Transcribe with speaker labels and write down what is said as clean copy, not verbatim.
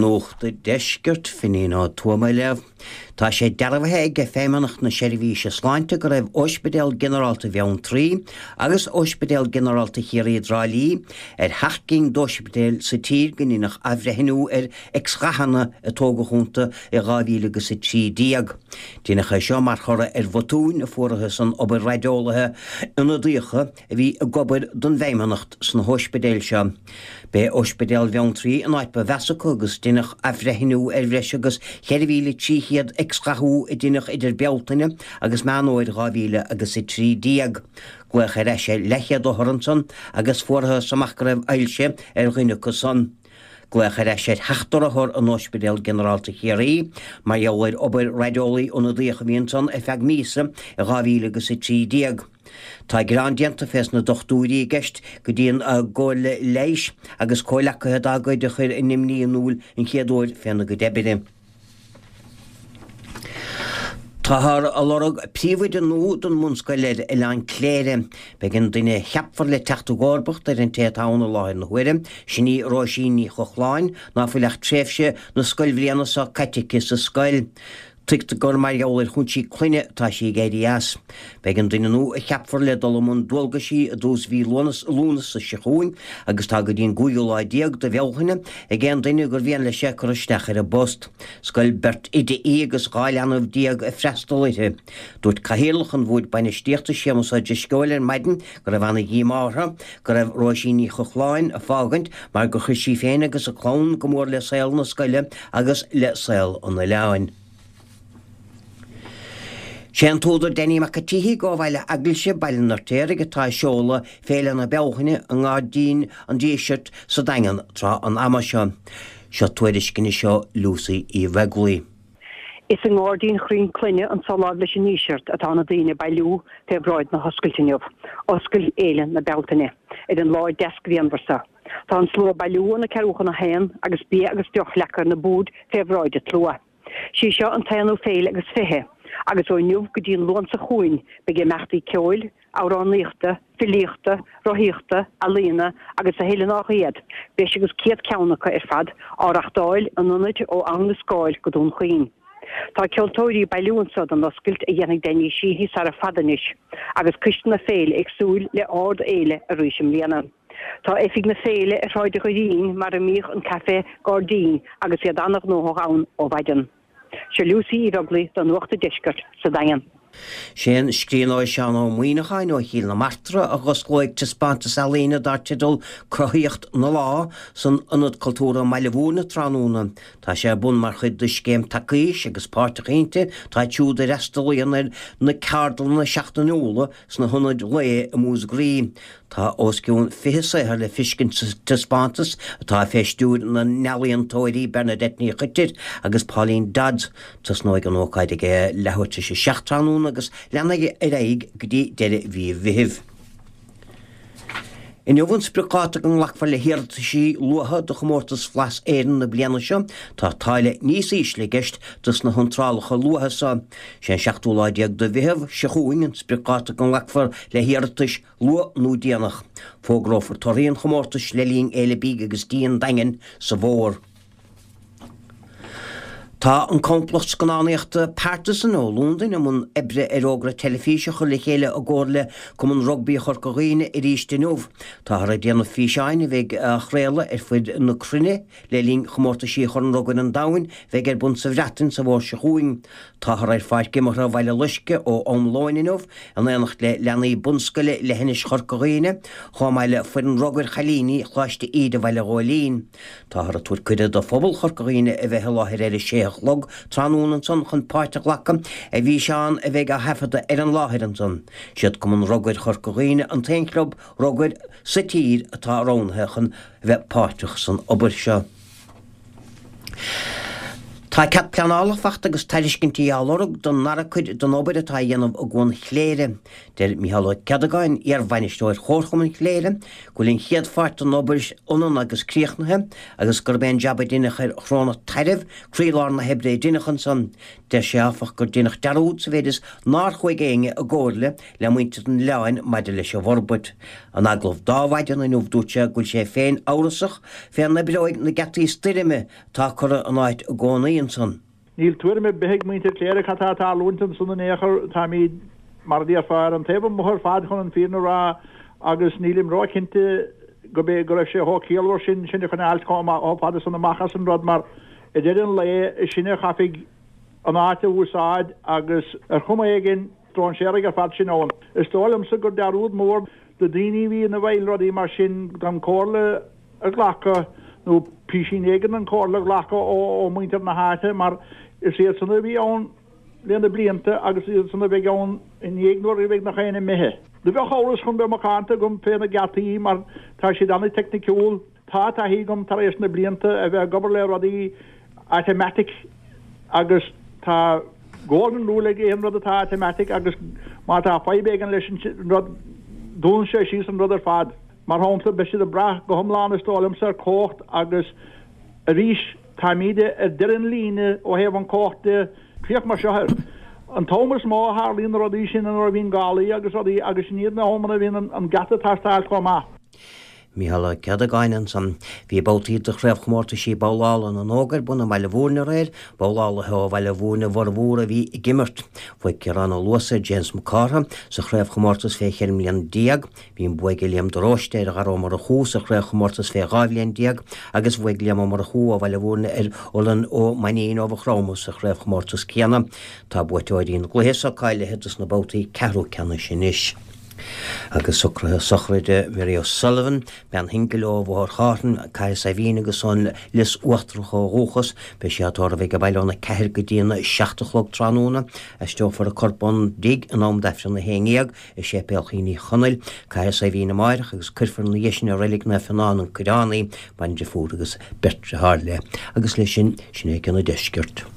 Speaker 1: Nuacht an Deiscirt, Finín Ó Tuama á léamh. Tá sé dearbhaithe ag Feidhmeannacht na Seirbhíse Sláinte go raibh Óispidéal Ginearálta Bheanntraí agus Óispidéal Ginearálta Chiarraí i dTrá Lí ar sheacht gcinn d'óispidéil sa tír go ndeineadh athbhreithniú ar X-ghathanna a tógadh iontu i 2013. Deineadh é seo mar thoradh ar bhotúin a fuarathas san obair raideolaithe ionadaíocha a bhí ag obair don bhFeidhmeannacht sna hóispidéil seo. B'é Óispidéal Bheanntraí an áit ba mheasa acu agus deineadh athbhreithniú ar bhreis agus 4,300 X-ghathú a deineadh idir Bealtaine agus Meán Fhómhair 2013. Glaodh ar ais ar leathchéad othar ansan agus fuarthas amach go raibh ailse ar dhuine acu san. Glaodh ar ais ar sheachtar othar in Óispidéal Ginearálta Chiarraí mar gheall ar obair raideolaí ionadaíoch a bhí ansan ar feadh míosa i 2013. Tá gearán déanta fés na dochtúirí i gceist go dtí an gComhairle Leighis agus comhleacaithe dá gcuid a chuir a n-imní in iúl an chéad uair féna gcuid oibre. Táthar ag lorg príomhoide nua don mbunscoil ar Oileán Cléire. Beidh an duine a cheapfar le teacht i gcomharbacht ar an té atá ann i láthair na huaire, sin í Róisín Ní Chochláin, ná fuil ach tréimhse na scoilbhliana seo caite aici sa scoil. Tuigtear gur mar gheall ar chúinsí clainne atá sí ag éirí as. Beidh an duine nua a cheapfar le dul i mbun dualgaisí i dtús mhí Lúnasa seo chugainn agus tá go dtí an gcúigiú lá déag de Bhealtaine ag aon duine gur mhian leis é cur isteach ar an bpost. Scoil beirt oide í agus 12 leanbh ag freastal uirthi. Dúirt Cathaoirleach an Bhoird Bainistíochta Séamus Ó Drisceoil ar maidin go raibh ana-dhíomá orthu go raibh Róisín Ní Chochláin ag fágaint mar gur chuir sí féin agus a clann go mór le saol na scoile agus le saol an oileáin. Sé an t-údar Danny Mac an tSíthigh ó Bhaile Eaglaise, Baile an Fheirtéaraigh, atá ag seoladh Féile na Bealtaine i nGairdín an Dísirt sa Daingean tráth an ama seo. Seo tuairisc anois ó Lucy Uí Bheaglaoi.
Speaker 2: Is i nGairdín Chroim Cloinne anso láimh leis an nDíseart atá na daoine ag bailiú fé bhráid na hoscailte inniu, oscailt Fhéile na Bealtaine, ar an lá deas grianmhar seo. Tá an slua ag bailiú óna ceathrú chun a haon agus bia agus deoch leagtha ar na boird fé bhráid an tslua. Sí seo an t-aonú féile agus 20, agus ó inniu go dtí an Luan seo chugainn beidh imeachtaí ceoil, amhránaíochta, filíochta, rothaíochta, ealaíona agus a thuilleadh nách iad, breis agus 100 ceann acu ar fad, á reachtáil in ionaid ó Abhainn an Scáil go Dún Chaoin. Tá ceoltóirí ag bailiú anso don oscailt a dhéanfaidh Danny Sheehy sara fada anois, agus coiste na féile ag súil le ard-fhéile arís i mbliana. Tá oifig na féile ar Shráid an Dhoirín mar a mbíodh an Café Gairdín agus iad an-ghnóthach ann ó mhaidin. Seo Lucy Uí Bheaglaoi do Nuacht an Deiscirt sa Daingean.
Speaker 1: Sé an scríbhneoir Seán Ó Muíneacháin ó Chill na Martra a dh'osclóidh taispeántas ealaíne dar teideal 'Cruthaíocht na Lá' san Ionad Cultúrtha i mBaile Mhúirne tráthnóna. Tá sé ar bun mar chuid de scéim Tacaois agus páirteach inti tá iad siúd a fhreastalaíonn ar na ceardlanna seachtainiúla sna hionaid lae i Múscraí. Tá os cionn 20 saothar le fiscint sa taispeántas atá fé stiúir na n-ealaíontóirí Bernadette Ní Choitir agus Pauline Dodds. Tosnóidh an ócáid ag a leathuair tar éis a 7 tráthnóna agus leanfaidh ar aghaidh go dtí deireadh mhí Mheithimh. Inniu an spriocdháta go nglacfar le hiarrataisí luatha do chomórtas Bhlas Éireann na bliana seo. Tá táille níos ísle i gceist dos na hiontrálacha luatha seo. Sé an seachtú lá déag de Mheitheamh seo chugainn an spriocdháta go nglacfar le hiarratais luath nó déanach. Fógrófar torthaí an chomórtais le linn Fhéile Bídh agus Dí an Daingin sa bhfómhar. Tá an complacht scannánaíochta Partisan ó Londain i mbun oibre ar fhógra teilifíse a chur le chéile i gcomhar le Cumann Rugbaí Chorca Dhuibhne arís inniu. Táthar ag déanamh físeáin a bheidh á chraoladh ar fuid na cruinne le linn chomórtaisí Chorn Rugair an Domhain a bheidh ar bun sa Bhreatain sa bhfómhar seo chugainn. Táthar ar pháirc imeartha Bhaile Loiscthe ó am lóin inniu in éineacht le leanaí bunscoile Leithinis Chorca Dhuibhne, chomh maith le foireann rugair chailíní Choláiste Íde Bhaile Ghóilín. Táthar ag tabhairt cuireadh do phobal Chorca Dhuibhne a bheith i láthair ar a sé a chlog tráthnóna ansan chun páirt a ghlacadh i bhfíseán a bheidh á thaifeadadh ar an láthair ansan. Siad Cumann Rugair Chorca Dhuibhne an t-aon chlub rugair sa tír atá roghnaithe chun a bheith páirteach san obair seo. Tá cead pleanála fachta agus tairiscintí á lorg don ndara cuid den obair atá á dhéanamh i gCuan Chléire. Deir Micheál Ó Ceadagáin, iar-bhainisteoir Chomharchumann Chléire, go bhfuil an chéad pháirt den obair ionann agus críochnaithe agus gurb é an jab a deineadh ar Chnónna Tairbh croílár na hoibre a deineadh ansan. Deir sé, áfach, gur deineadh dearúd sa mhéid is nár chuaigh éinne i gcomhairle le muintir an oileáin maidir leis an bhforbairt. In agallamh d'Adhmhaidin inniu dúirt sé go bhfuil sé féin amhrasach fé an oibreoidh na geataí stoirme atá curtha in áit i gcónaí ansan.
Speaker 3: Níl tuairim ar bith ag muintir Chléire cad tá ag tarlúint ansan in aon chor. Táimíd, mar a déarfá, ar an taobh amuigh ar fad chun an fírinne a rá agus nílim ró-chinnte go b'é go raibh sé chomh ciallmhar sin sinn a choinneáilt chomh fada san amach as an rud mar i deireadh an lae is sinne a chaithfidh an áit a úsáid agus ar chuma éigin stróinséaraigh ar fad sinn ann. Is dóigh liomsa gur dearúd mór do daoine a bhí ina bhfeighil rudaí mar sin gan comhairle a ghlacadh nó písín éigin den chomhairle a ghlacadh ó mhuintir na háite mar is iad san a bhí ann le na blianta agus is iad san a bheidh ann i ndiaidh nuair a bheidh nach éinne imithe. Do bheadh amhras chun bheith macánta agam fé na geataí mar tá siad an-teicniciúil. Tá taithí agam tar éis na blianta a bheith ag obair le rudaí automatic agus tá golden rule ag aon rud atá automatic agus má tá fadhb éigin leis an rud dúnann sé síos an rud ar fad. Mar shampla, beidh siad ag brath go hiomlán is dóigh liomsa ar cumhacht agus arís táimíde ar deireadh an líne ó thaobh an cumhacht de. Féach mar seo air. An t-am is mó a tharlaíonn na rudaí sin nuair a bhíonn gálaí agus rudaí agus sin iad na hamanna a bhíonn an geata ag teastáil chomh maith.
Speaker 1: Micheál Ó Ceadagáin ansan. Bhí babhtaí de chraobhchomórtaisí babhlála na nÓg ar bun i mBaile Bhúirne aréir, babhlálaithe ó Bhaile Bhúirne a bhformhór a bhí ag imirt. Bhuaigh Ciarán Ó Luasa ar James Mac Cártha sa chraobhchomórtas fé cheithre mbliana déag, Bhí an bua ag Liam de Róiste ar Dhara Ó Murchú sa chraobhchomórtas fé 12 bhliain agus bhuaigh Liam Ó Murchú ó Bhaile Bhúirne ar Olan Ó Mainnín ó Mhaigh Chromtha sa chraobhchomórtas céanna. Tá buaiteoirí na gcluiche so cáilithe dos na babhtaí ceathrú ceannais anois. Agus socruithe sochraide Mary O'Sullivan, bean shingil ó Bhóthar Chairn, Cathair Saidhbhín agus ón Lios Uachtarach ó dhúchas, beidh sí á tórramh ag an baile óna 4 go dtí an 7 a chlog tráthnóna. Aistreofar a corp ón dtigh in am d'Aifreann 11. i Séipéal Chill Uí Chonaill, Cathair Saidhbhín amáireach agus cuirfear ina dhiaidh sin i Reilig Naomh Fionán, An Coireán í, bandeirfiúr agus beirt deartháir léi. Agus leis sin, sin é cionn an deiscirt.